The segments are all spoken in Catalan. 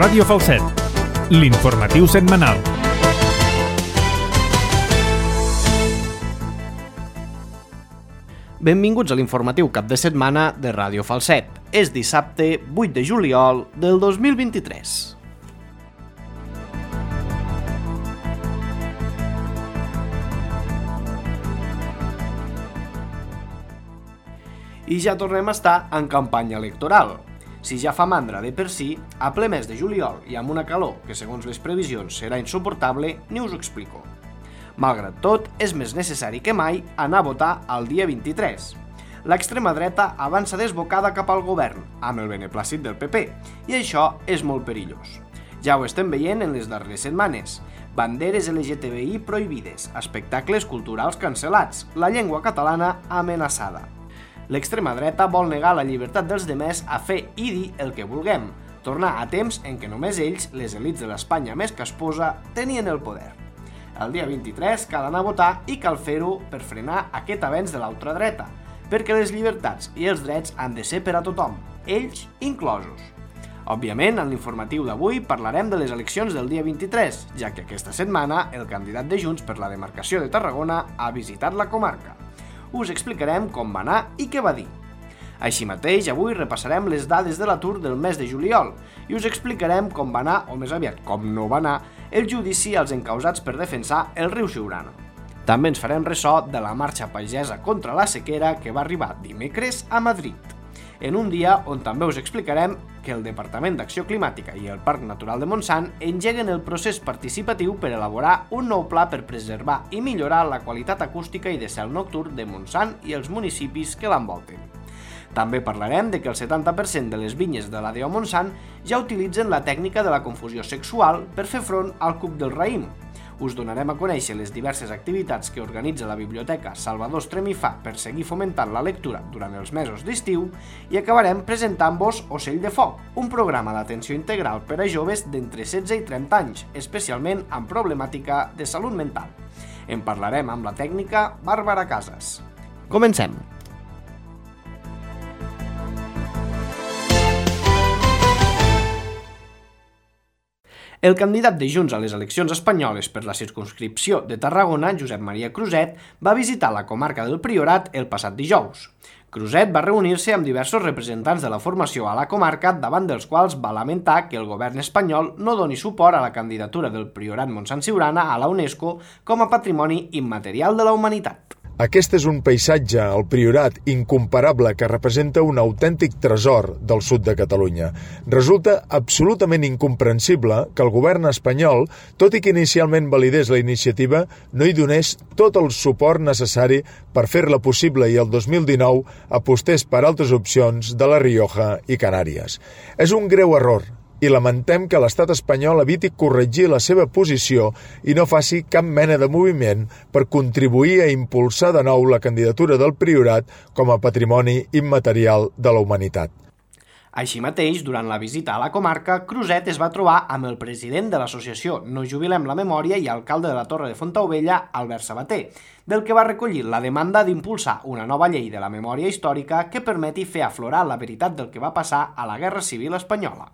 Ràdio Falset, l'informatiu setmanal. Benvinguts a l'informatiu cap de setmana de Ràdio Falset. És dissabte 8 de juliol del 2023. I ja tornem a estar en campanya electoral. Si ja fa mandra de per si, a ple mes de juliol i amb una calor que segons les previsions serà insuportable, ni us ho explico. Malgrat tot, és més necessari que mai anar a votar el dia 23. L'extrema dreta avança desbocada cap al govern, amb el beneplàcit del PP, i això és molt perillós. Ja ho estem veient en les darreres setmanes. Banderes LGTBI prohibides, espectacles culturals cancel·lats, la llengua catalana amenaçada. L'extrema dreta vol negar la llibertat dels demés a fer i dir el que vulguem, tornar a temps en què només ells, les elits de l'Espanya més casposa, tenien el poder. El dia 23 cal anar a votar i cal fer-ho per frenar aquest avenç de l'ultradreta, perquè les llibertats i els drets han de ser per a tothom, ells inclosos. Òbviament, en l'informatiu d'avui parlarem de les eleccions del dia 23, ja que aquesta setmana el candidat de Junts per la demarcació de Tarragona ha visitat la comarca. Us explicarem com va anar i què va dir. Així mateix, avui repassarem les dades de l'atur del mes de juliol i us explicarem com va anar, o més aviat com no va anar, el judici als encausats per defensar el riu Siurana. També ens farem ressò de la marxa pagesa contra la sequera que va arribar dimecres a Madrid, en un dia on també us explicarem que el Departament d'Acció Climàtica i el Parc Natural de Montsant engeguen el procés participatiu per elaborar un nou pla per preservar i millorar la qualitat acústica i de cel nocturn de Montsant i els municipis que l'envolten. També parlarem de que el 70% de les vinyes de la DO Montsant ja utilitzen la tècnica de la confusió sexual per fer front al cuc del raïm. Us donarem a conèixer les diverses activitats que organitza la Biblioteca Salvador Estremifà per seguir fomentant la lectura durant els mesos d'estiu i acabarem presentant-vos Ocell de Foc, un programa d'atenció integral per a joves d'entre 16 i 30 anys, especialment amb problemàtica de salut mental. En parlarem amb la tècnica Bàrbara Casas. Comencem! El candidat de Junts a les eleccions espanyoles per la circumscripció de Tarragona, Josep Maria Cruzet, va visitar la comarca del Priorat el passat dijous. Cruzet va reunir-se amb diversos representants de la formació a la comarca, davant dels quals va lamentar que el govern espanyol no doni suport a la candidatura del Priorat Montsant-Siurana a la UNESCO com a patrimoni immaterial de la humanitat. Aquest és un paisatge, el Priorat, incomparable, que representa un autèntic tresor del sud de Catalunya. Resulta absolutament incomprensible que el govern espanyol, tot i que inicialment validés la iniciativa, no hi donés tot el suport necessari per fer-la possible i el 2019 apostés per altres opcions de la Rioja i Canàries. És un greu error, i lamentem que l'estat espanyol eviti corregir la seva posició i no faci cap mena de moviment per contribuir a impulsar de nou la candidatura del Priorat com a patrimoni immaterial de la humanitat. Així mateix, durant la visita a la comarca, Cruzet es va trobar amb el president de l'associació No Jubilem la Memòria i alcalde de la Torre de Fontaubella, Albert Sabater, del que va recollir la demanda d'impulsar una nova llei de la memòria històrica que permeti fer aflorar la veritat del que va passar a la Guerra Civil Espanyola.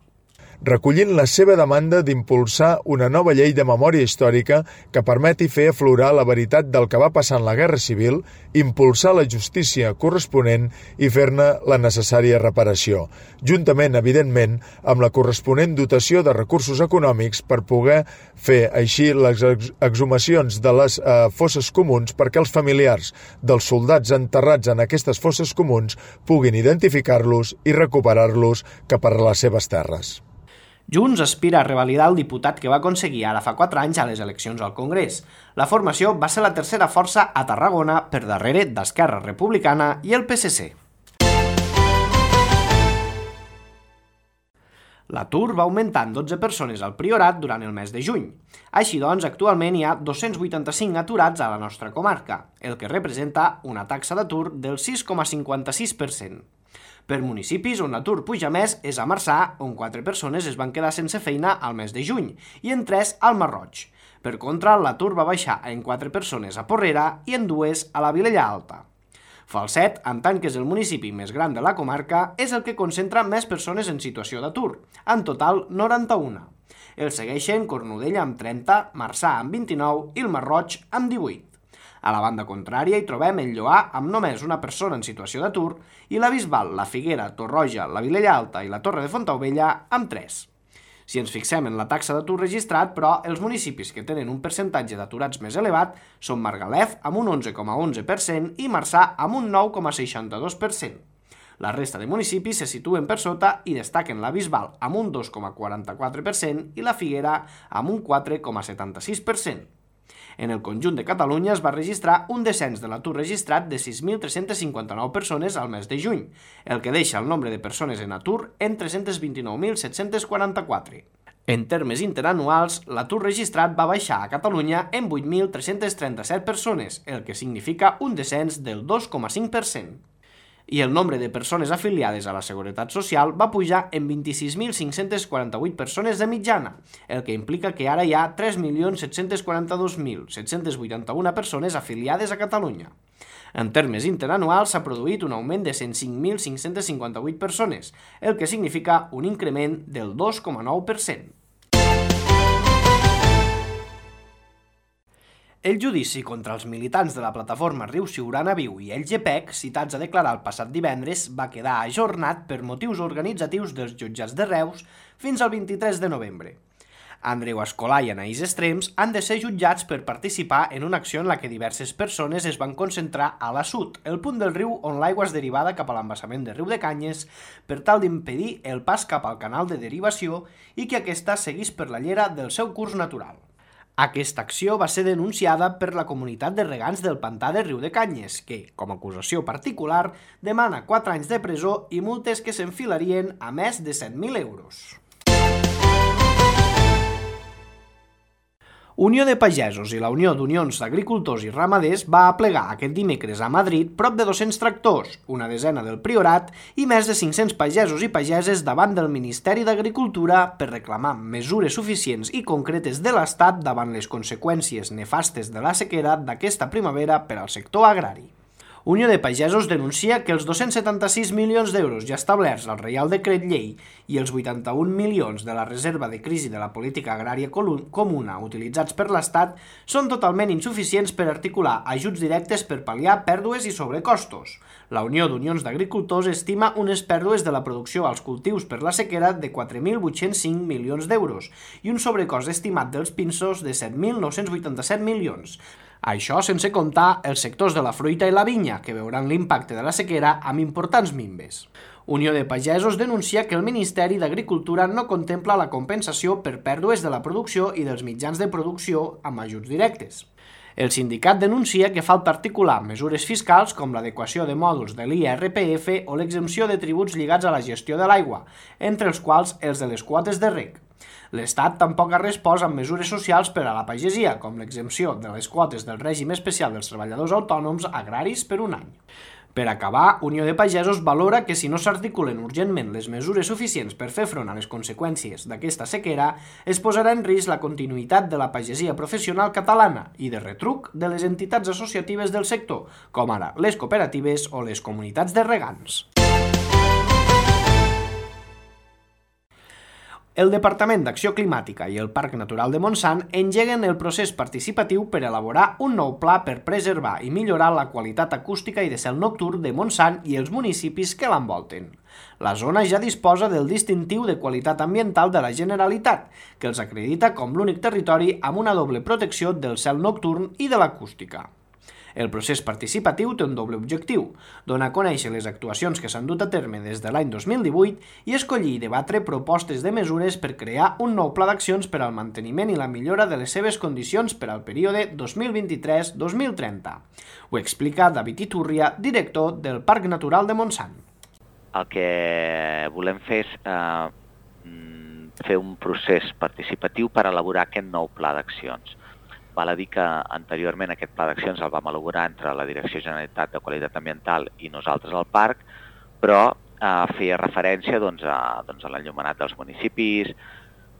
Recollint la seva demanda d'impulsar una nova llei de memòria històrica que permeti fer aflorar la veritat del que va passar en la Guerra Civil, impulsar la justícia corresponent i fer-ne la necessària reparació, juntament, evidentment, amb la corresponent dotació de recursos econòmics per poder fer així les exhumacions de les fosses comuns perquè els familiars dels soldats enterrats en aquestes fosses comuns puguin identificar-los i recuperar-los cap a les seves terres. Junts aspira a revalidar el diputat que va aconseguir ara fa 4 anys a les eleccions al Congrés. La formació va ser la tercera força a Tarragona per darrere d'Esquerra Republicana i el PSC. L'atur va augmentar en 12 persones al Priorat durant el mes de juny. Així doncs, actualment hi ha 285 aturats a la nostra comarca, el que representa una taxa d'atur del 6,56%. Per municipis on l'atur puja més és a Marçà, on 4 persones es van quedar sense feina al mes de juny, i en 3 al Masroig. Per contra, l'atur va baixar en 4 persones a Porrera i en 2 a la Vilella Alta. Falset, en tant que és el municipi més gran de la comarca, és el que concentra més persones en situació d'atur, en total 91. El segueixen Cornudella amb 30, Marçà amb 29 i el Masroig amb 18. A la banda contrària hi trobem el Lloar amb només una persona en situació d'atur i la Bisbal, la Figuera, Torroja, la Vilella Alta i la Torre de Fontaubella amb 3. Si ens fixem en la taxa d'atur registrat, però, els municipis que tenen un percentatge d'aturats més elevat són Margalef amb un 11,11% i Marçà amb un 9,62%. La resta de municipis se situen per sota i destaquen la Bisbal amb un 2,44% i la Figuera amb un 4,76%. En el conjunt de Catalunya es va registrar un descens de l'atur registrat de 6.359 persones al mes de juny, el que deixa el nombre de persones en atur en 329.744. En termes interanuals, l'atur registrat va baixar a Catalunya en 8.337 persones, el que significa un descens del 2,5%. I el nombre de persones afiliades a la Seguretat Social va pujar en 26.548 persones de mitjana, el que implica que ara hi ha 3.742.781 persones afiliades a Catalunya. En termes interanuals s'ha produït un augment de 105.558 persones, el que significa un increment del 2,9%. El judici contra els militants de la plataforma Riu Siurana Viu i el GPEC, citats a declarar el passat divendres, va quedar ajornat per motius organitzatius dels jutjats de Reus fins al 23 de novembre. Andreu Escolà i Anaïs Estrems han de ser jutjats per participar en una acció en la que diverses persones es van concentrar a l'Assut, el punt del riu on l'aigua és derivada cap a l'embassament de Riu de Canyes, per tal d'impedir el pas cap al canal de derivació i que aquesta seguís per la llera del seu curs natural. Aquesta acció va ser denunciada per la comunitat de regants del pantà de Riu de Canyes, que, com a acusació particular, demana 4 anys de presó i multes que s'enfilarien a més de 7.000 euros. Unió de Pagesos i la Unió d'Unions d'Agricultors i Ramaders va aplegar aquest dimecres a Madrid prop de 200 tractors, una desena del Priorat i més de 500 pagesos i pageses davant del Ministeri d'Agricultura per reclamar mesures suficients i concretes de l'Estat davant les conseqüències nefastes de la sequera d'aquesta primavera per al sector agrari. Unió de Pagesos denuncia que els 276 milions d'euros ja establerts al Reial Decret Llei i els 81 milions de la reserva de crisi de la política agrària comuna utilitzats per l'Estat són totalment insuficients per articular ajuts directes per pal·liar pèrdues i sobrecostos. La Unió d'Unions d'Agricultors estima unes pèrdues de la producció als cultius per la sequera de 4.805 milions d'euros i un sobrecost estimat dels pinsos de 7.987 milions. Això sense comptar els sectors de la fruita i la vinya, que veuran l'impacte de la sequera amb importants minves. Unió de Pagesos denuncia que el Ministeri d'Agricultura no contempla la compensació per pèrdues de la producció i dels mitjans de producció amb ajuts directes. El sindicat denuncia que falta articular mesures fiscals com l'adequació de mòduls de l'IRPF o l'exempció de tributs lligats a la gestió de l'aigua, entre els quals els de les quotes de reg. L'Estat tampoc ha respost amb mesures socials per a la pagesia, com l'exempció de les quotes del règim especial dels treballadors autònoms agraris per un any. Per acabar, Unió de Pagesos valora que si no s'articulen urgentment les mesures suficients per fer front a les conseqüències d'aquesta sequera, es posarà en risc la continuïtat de la pagesia professional catalana i, de retruc, de les entitats associatives del sector, com ara les cooperatives o les comunitats de regants. El Departament d'Acció Climàtica i el Parc Natural de Montsant engeguen el procés participatiu per elaborar un nou pla per preservar i millorar la qualitat acústica i de cel nocturn de Montsant i els municipis que l'envolten. La zona ja disposa del distintiu de qualitat ambiental de la Generalitat, que els acredita com l'únic territori amb una doble protecció del cel nocturn i de l'acústica. El procés participatiu té un doble objectiu, donar a conèixer les actuacions que s'han dut a terme des de l'any 2018 i escollir i debatre propostes de mesures per crear un nou pla d'accions per al manteniment i la millora de les seves condicions per al període 2023-2030. Ho explica David Iturria, director del Parc Natural de Montsant. El que volem fer és fer un procés participatiu per elaborar aquest nou pla d'accions. Val a dir que anteriorment aquest pla d'accions el vam elaborar entre la Direcció Generalitat de Qualitat Ambiental i nosaltres al parc, però feia referència a l'enllumenat dels municipis,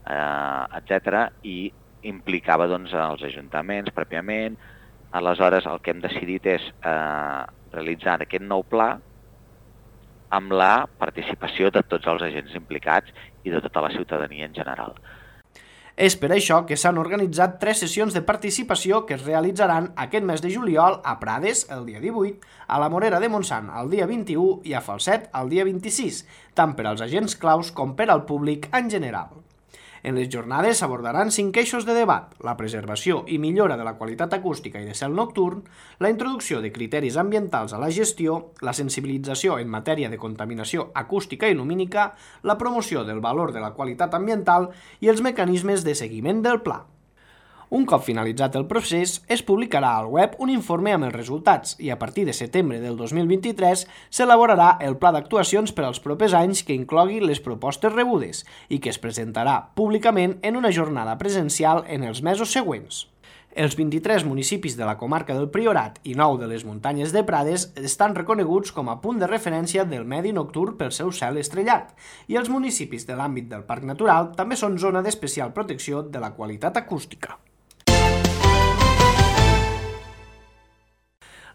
etc. i implicava els ajuntaments pròpiament, Aleshores, el que hem decidit és realitzar aquest nou pla amb la participació de tots els agents implicats i de tota la ciutadania en general. És per això que s'han organitzat 3 sessions de participació que es realitzaran aquest mes de juliol a Prades el dia 18, a la Morera de Montsant el dia 21 i a Falset el dia 26, tant per als agents claus com per al públic en general. En les jornades s'abordaran 5 eixos de debat: la preservació i millora de la qualitat acústica i de cel nocturn, la introducció de criteris ambientals a la gestió, la sensibilització en matèria de contaminació acústica i lumínica, la promoció del valor de la qualitat ambiental i els mecanismes de seguiment del pla. Un cop finalitzat el procés, es publicarà al web un informe amb els resultats i a partir de setembre del 2023 s'elaborarà el pla d'actuacions per als propers anys que inclogui les propostes rebudes i que es presentarà públicament en una jornada presencial en els mesos següents. Els 23 municipis de la comarca del Priorat i 9 de les muntanyes de Prades estan reconeguts com a punt de referència del medi nocturn pel seu cel estrellat i els municipis de l'àmbit del Parc Natural també són zona d'especial protecció de la qualitat acústica.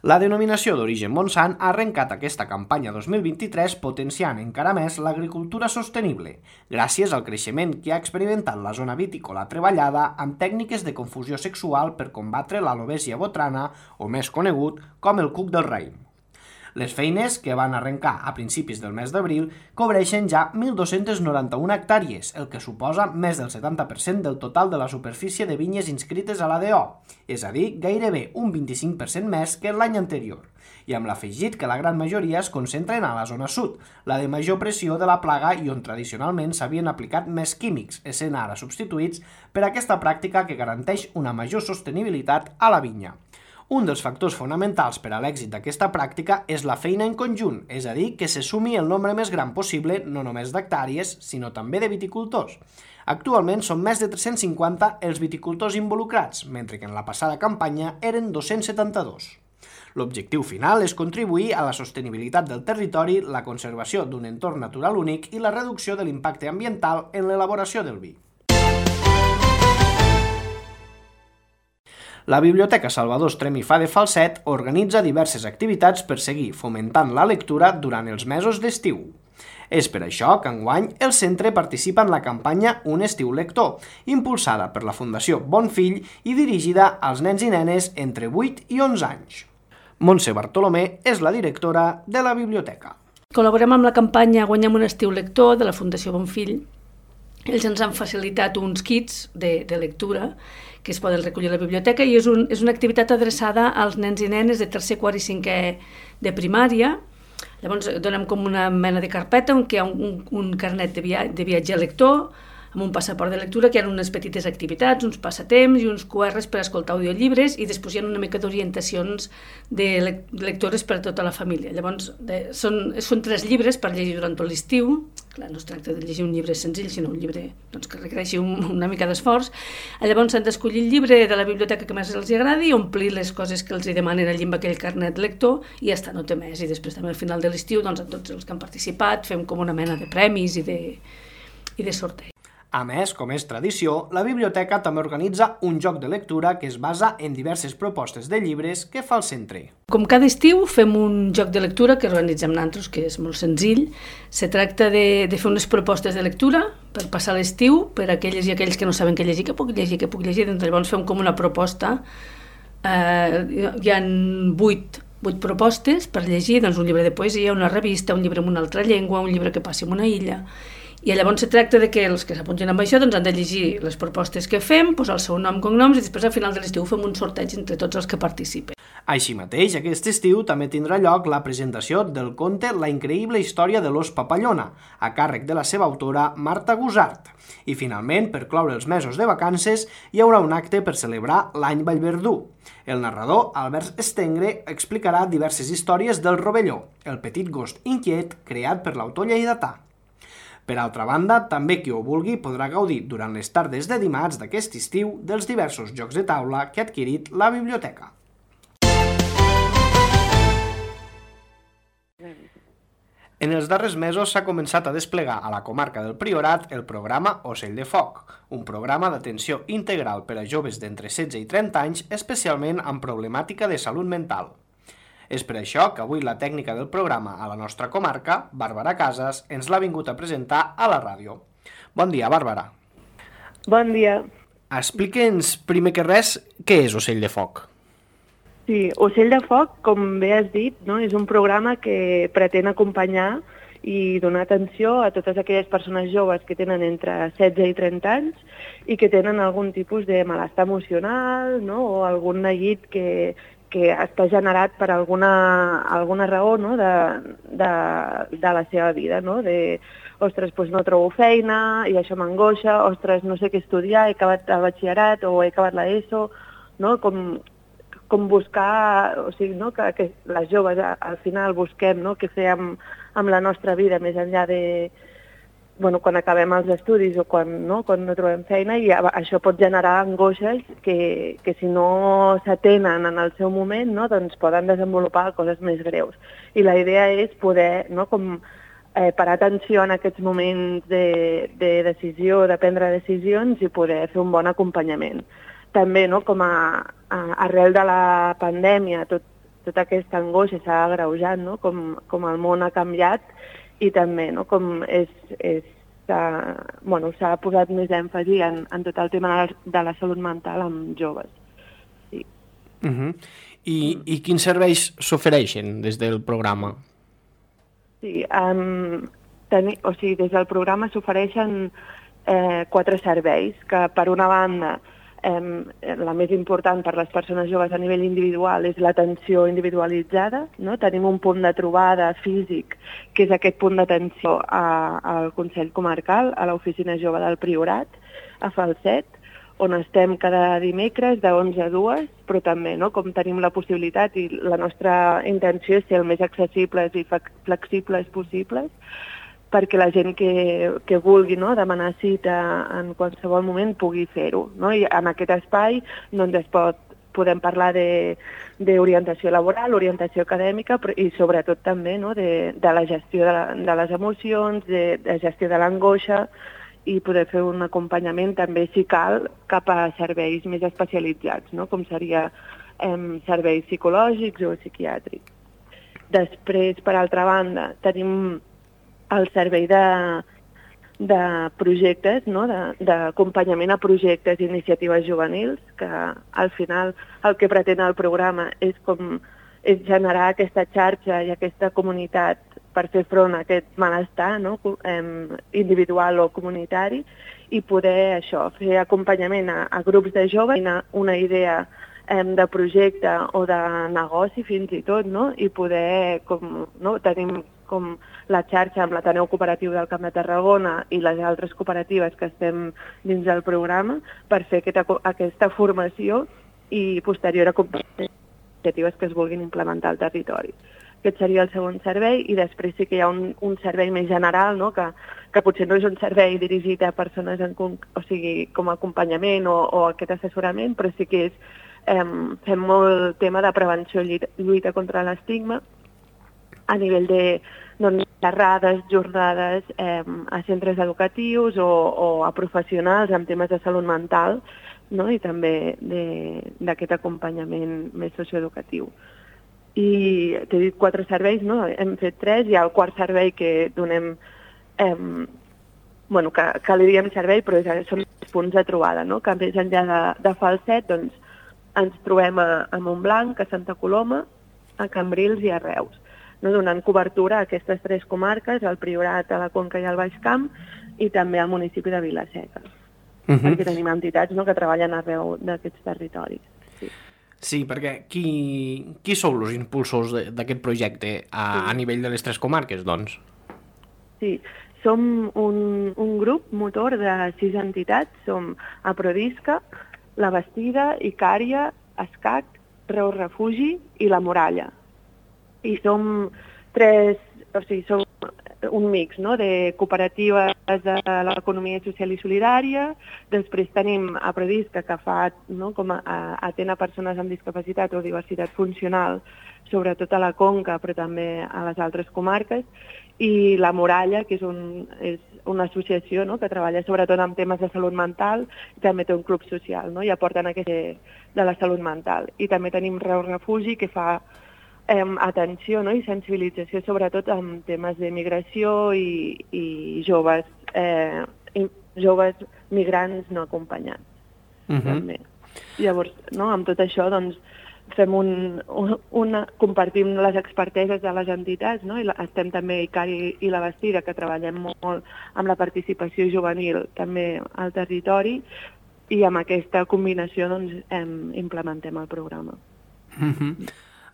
La denominació d'origen Montsant ha arrencat aquesta campanya 2023 potenciant encara més l'agricultura sostenible, gràcies al creixement que ha experimentat la zona vitícola treballada amb tècniques de confusió sexual per combatre l'alobèsia botrana, o més conegut com el cuc del raïm. Les feines, que van arrencar a principis del mes d'abril, cobreixen ja 1.291 hectàrees, el que suposa més del 70% del total de la superfície de vinyes inscrites a l'ADO, és a dir, gairebé un 25% més que l'any anterior, i amb l'afegit que la gran majoria es concentren a la zona sud, la de major pressió de la plaga i on tradicionalment s'havien aplicat més químics, essent ara substituïts per aquesta pràctica que garanteix una major sostenibilitat a la vinya. Un dels factors fonamentals per a l'èxit d'aquesta pràctica és la feina en conjunt, és a dir, que se sumi el nombre més gran possible no només d'hectàrees, sinó també de viticultors. Actualment són més de 350 els viticultors involucrats, mentre que en la passada campanya eren 272. L'objectiu final és contribuir a la sostenibilitat del territori, la conservació d'un entorn natural únic i la reducció de l'impacte ambiental en l'elaboració del vi. La Biblioteca Salvador Estrem i Fa de Falset organitza diverses activitats per seguir fomentant la lectura durant els mesos d'estiu. És per això que enguany el centre participa en la campanya Un estiu lector, impulsada per la Fundació Bonfill i dirigida als nens i nenes entre 8 i 11 anys. Montse Bartolomé és la directora de la biblioteca. Col·laborem amb la campanya Guanyem un estiu lector de la Fundació Bonfill. Ells ens han facilitat uns kits de lectura que es poden recollir a la biblioteca i és una activitat adreçada als nens i nenes de tercer, quart i cinquè de primària. Llavors donem com una mena de carpeta on hi ha un carnet de viatge lector amb un passaport de lectura que hi ha unes petites activitats, uns passatemps i uns QRs per escoltar audiollibres i després hi ha una mica d'orientacions de lectores per a tota la família. Llavors són 3 llibres per llegir durant tot l'estiu. Clar, no es tracta de llegir un llibre senzill, sinó un llibre que requereixi una mica d'esforç. Llavors s'han d'escollir el llibre de la biblioteca que més els agradi i omplir les coses que els demanen allí amb aquell carnet lector i ja està, no té més. I després també al final de l'estiu, doncs, a tots els que han participat fem com una mena de premis i de sorteig. A més, com és tradició, la biblioteca també organitza un joc de lectura que es basa en diverses propostes de llibres que fa el centre. Com cada estiu fem un joc de lectura que organitzem nosaltres, que és molt senzill. Se tracta de fer unes propostes de lectura per passar l'estiu, per a aquelles i aquells que no saben què llegir, què puc llegir, doncs llavors fem com una proposta. Hi ha 8 propostes per llegir, doncs un llibre de poesia, una revista, un llibre en una altra llengua, un llibre que passi en una illa. I llavors se tracta de que els que s'apuntin amb això doncs han de llegir les propostes que fem, posar el seu nom, cognoms, i després al final de l'estiu fem un sorteig entre tots els que participen. Així mateix, aquest estiu també tindrà lloc la presentació del conte La increïble història de l'ós papallona, a càrrec de la seva autora Marta Gusart. I finalment, per cloure els mesos de vacances, hi haurà un acte per celebrar l'any Vallverdú. El narrador, Albert Stengre, explicarà diverses històries del Rovelló, el petit gos inquiet creat per l'autor lleidatà. Per altra banda, també qui ho vulgui podrà gaudir durant les tardes de dimarts d'aquest estiu dels diversos jocs de taula que ha adquirit la biblioteca. En els darrers mesos s'ha començat a desplegar a la comarca del Priorat el programa Ocell de Foc, un programa d'atenció integral per a joves d'entre 16 i 30 anys, especialment amb problemàtica de salut mental. És per això que avui la tècnica del programa a la nostra comarca, Bàrbara Casas, ens l'ha vingut a presentar a la ràdio. Bon dia, Bàrbara. Bon dia. Explique'ns, primer que res, què és Ocell de Foc? Sí, Ocell de Foc, com bé has dit, no? És un programa que pretén acompanyar i donar atenció a totes aquelles persones joves que tenen entre 16 i 30 anys i que tenen algun tipus de malestar emocional, no? O algun neguit que està generat per alguna raó, no? de la seva vida, no? Ostres, doncs no trobo feina i això m'angoixa, ostres, no sé què estudiar, he acabat el batxillerat o he acabat l'ESO, no? Com buscar, o sigui, no? que les joves al final busquem, no? Què fer amb la nostra vida més enllà de quan acabem els estudis o quan no trobem feina, i això pot generar angoixes que si no s'atenen en el seu moment, no? Doncs poden desenvolupar coses més greus. I la idea és poder parar atenció en aquests moments de decisió, de prendre decisions i poder fer un bon acompanyament. També, no? Com arrel de la pandèmia, tota aquesta angoixa s'ha agreujat, no? Com el món ha canviat, i també com s'ha posat més èmfasi en tot el tema de la salut mental amb joves. Sí. I quins serveis s'ofereixen des del programa? Sí, des del programa s'ofereixen 4 serveis, que per una banda la més important per les persones joves a nivell individual és l'atenció individualitzada, no? Tenim un punt de trobada físic, que és aquest punt d'atenció al Consell Comarcal, a l'Oficina Jove del Priorat, a Falset, on estem cada dimecres de 11 a 2, però també, no? Com tenim la possibilitat i la nostra intenció és ser el més accessibles i flexibles possibles, perquè la gent que vulgui, no? Demanar cita en qualsevol moment pugui fer-ho, no? I en aquest espai doncs podem parlar d'orientació laboral, orientació acadèmica i sobretot també, no? de la gestió de les emocions, de gestió de l'angoixa, i poder fer un acompanyament també, si cal, cap a serveis més especialitzats, no? Com seria serveis psicològics o psiquiàtrics. Després, per altra banda, tenim el servei de projectes, no? D'acompanyament a projectes i iniciatives juvenils, que al final el que pretén el programa és generar aquesta xarxa i aquesta comunitat per fer front a aquest malestar, no? Individual o comunitari, i poder fer acompanyament a grups de joves, una idea de projecte o de negoci fins i tot, no? I poder, tenim com la xarxa amb l'Ateneu Cooperatiu del Camp de Tarragona i les altres cooperatives que estem dins del programa per fer aquesta formació i posterior a iniciatives que es vulguin implementar al territori. Aquest seria el segon servei, i després sí que hi ha un servei més general, no? Que potser no és un servei dirigit a persones com a acompanyament o aquest assessorament, però sí que fem molt tema de prevenció i lluita contra l'estigma a nivell de xerrades, jornades a centres educatius o a professionals amb temes de salut mental, no? I també d'aquest acompanyament més socioeducatiu. I t'he dit 4 serveis, no? Hem fet 3, hi ha el quart servei que donem, que li diem servei, però són els punts de trobada, no? Que més enllà de Falset, doncs, ens trobem a Montblanc, a Santa Coloma, a Cambrils i a Reus, no? Donant cobertura a aquestes 3 comarques, al Priorat, a la Conca i al Baix Camp, i també al municipi de Vila-seca, perquè tenim entitats, no? Que treballen arreu d'aquests territoris. Sí, perquè qui sou els impulsors d'aquest projecte a nivell de les 3 comarques, doncs? Sí, som un grup motor de 6 entitats. Som Aprodisca, La Bastida, Icària, Escac, Reus Refugi i La Muralla. I som un mix, no?, de cooperatives de l'economia social i solidària. Després tenim a Prodisca, que fa, no?, com atén a persones amb discapacitat o diversitat funcional, sobretot a la Conca, però també a les altres comarques, i La Muralla, que és una associació, no?, que treballa sobretot amb temes de salut mental, i també té un club social, no?, i aporten aquest de la salut mental. I també tenim Reu Refugi, que fa atenció, no?, i sensibilització sobretot amb temes de migració i joves migrants no acompanyats. També. Llavors, no?, amb tot això, doncs, fem compartim les experteses de les entitats, no?, i estem també ICARI i La Bastida, que treballem molt amb la participació juvenil també al territori, i amb aquesta combinació doncs, implementem el programa.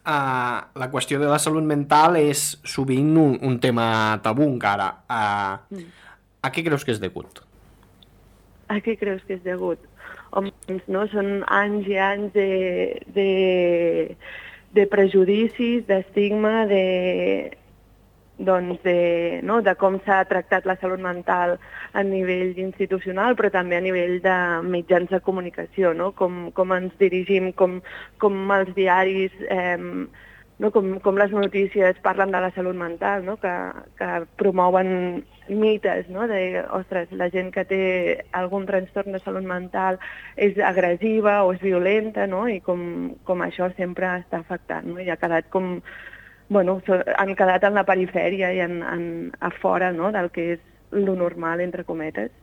La qüestió de la salut mental és sovint un tema tabú encara. A què creus que és degut? A què creus que és degut? Home, no? Són anys i anys de prejudicis, d'estigma, de com s'ha tractat la salut mental a nivell institucional, però també a nivell de mitjans de comunicació, no? Com ens dirigim, com els diaris, no? Com les notícies parlen de la salut mental, no? Que promouen mites, no? De, ostres, la gent que té algun trastorn de salut mental és agressiva o és violenta, no? I com això sempre està afectant, no? I ha quedat com... Bueno, han quedat en la perifèria i a fora, no?, del que és lo normal, entre cometes,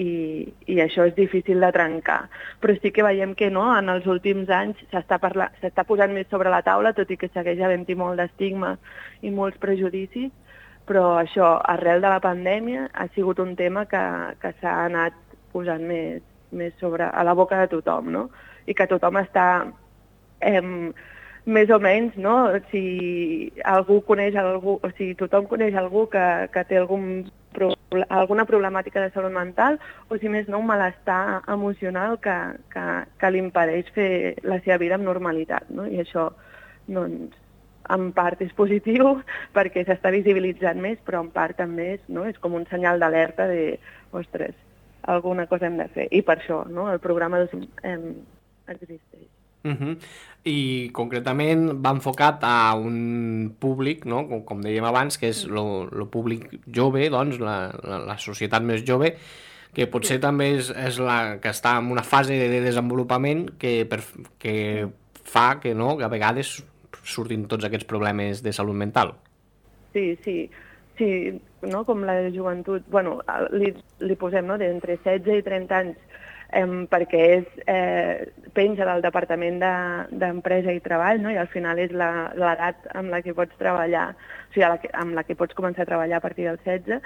i això és difícil de trencar. Però sí que veiem que no, en els últims anys s'està posant més sobre la taula, tot i que segueix havent-hi molt d'estigma i molts prejudicis, però això, arrel de la pandèmia, ha sigut un tema que s'ha anat posant més sobre a la boca de tothom, no?, i que tothom està... més o menys, no? Si algú coneix algú, o si tothom coneix algú que té alguna problemàtica de salut mental, o si més no un malestar emocional que li impedeix fer la seva vida amb normalitat, no? I això, doncs, en part és positiu perquè s'està visibilitzant més, però en part també és com un senyal d'alerta de, ostres, alguna cosa hem de fer. I per això, no?, el programa existeix. I concretament va enfocat a un públic, no?, com dèiem abans, que és el públic jove, doncs, la societat més jove, que potser també és la que està en una fase de desenvolupament que fa que, no?, que a vegades surtin tots aquests problemes de salut mental. Sí, no?, com la joventut, bueno, li posem, no?, d'entre 16 i 30 anys, perquè penja del Departament d'Empresa i Treball, no? I al final és l'edat amb la que pots treballar, o sigui, amb la que pots començar a treballar a partir dels 16,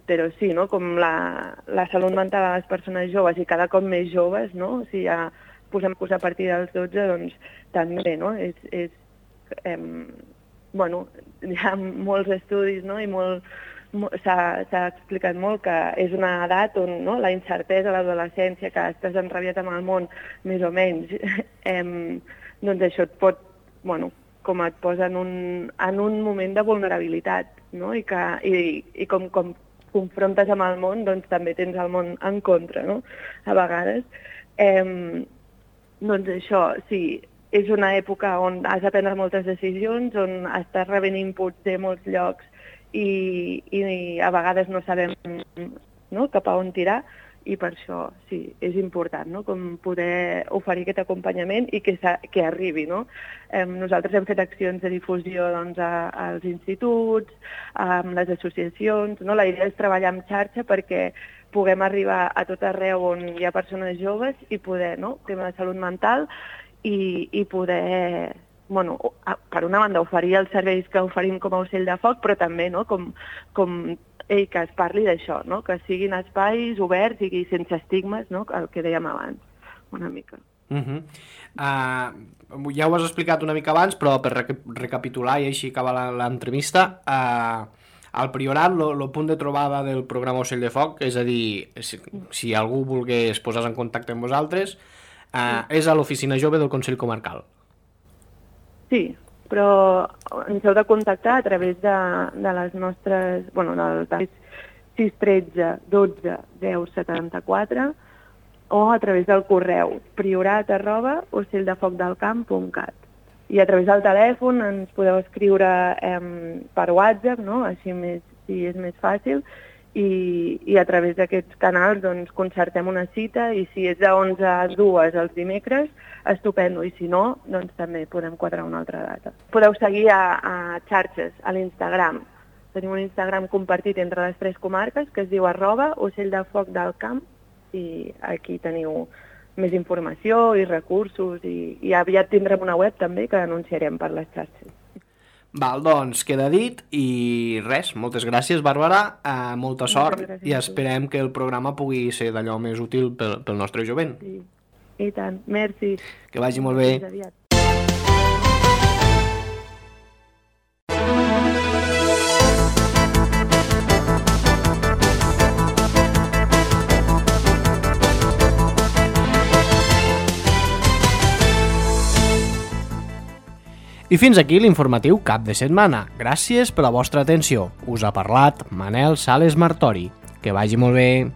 però sí, no? Com la salut mental de les persones joves i cada cop més joves, no? O sigui, ja posem a partir dels 12, doncs també, no? Bueno, hi ha molts estudis, no? I s'ha explicat molt que és una edat on, no?, la incertesa, l'adolescència, que estàs enrabiat amb el món, més o menys, doncs això et pot, bueno, com et posa en un moment de vulnerabilitat, no?, i com confrontes amb el món, doncs també tens el món en contra, no?, a vegades. Doncs això, sí, és una època on has de prendre moltes decisions, on estàs rebent inputs de molts llocs i a vegades no sabem, no?, cap a on tirar, i per això sí, és important, no?, com poder oferir aquest acompanyament i que arribi, no? Nosaltres hem fet accions de difusió, doncs, als instituts, amb les associacions, no? La idea és treballar en xarxa perquè puguem arribar a tot arreu on hi ha persones joves i poder, no?, tema de salut mental i poder... Bueno, per una banda, oferir els serveis que oferim com a Ocell de Foc, però també, no?, com que es parli d'això, no?, que siguin espais oberts i sense estigmes, no?, el que dèiem abans, una mica. Ja ho has explicat una mica abans, però per recapitular i així acabar l'entrevista, al Priorat, el punt de trobada del programa Ocell de Foc, és a dir, si algú volgués posar en contacte amb vosaltres, és a l'oficina jove del Consell Comarcal. Sí, però ens heu de contactar a través de les nostres, del 613 12 10 74 o a través del correu priorat@ocelldefocdelcamp.cat. I a través del telèfon ens podeu escriure per WhatsApp, no? Així si és més fàcil, i a través d'aquests canals doncs, concertem una cita, i si és de 11 a 2 els dimecres, estupendo, i si no, doncs també podem quadrar una altra data. Podeu seguir a xarxes, a l'Instagram. Tenim un Instagram compartit entre les 3 comarques que es diu @ocelldefocdelcamp, i aquí teniu més informació i recursos, i aviat tindrem una web també que anunciarem per les xarxes. Val, doncs queda dit, i res, moltes gràcies, Bàrbara, molta sort, i esperem que el programa pugui ser d'allò més útil pel nostre jovent. Sí, i tant, merci. Que vagi molt bé. Fins aviat. I fins aquí l'informatiu cap de setmana. Gràcies per la vostra atenció. Us ha parlat Manel Sales Martori. Que vagi molt bé.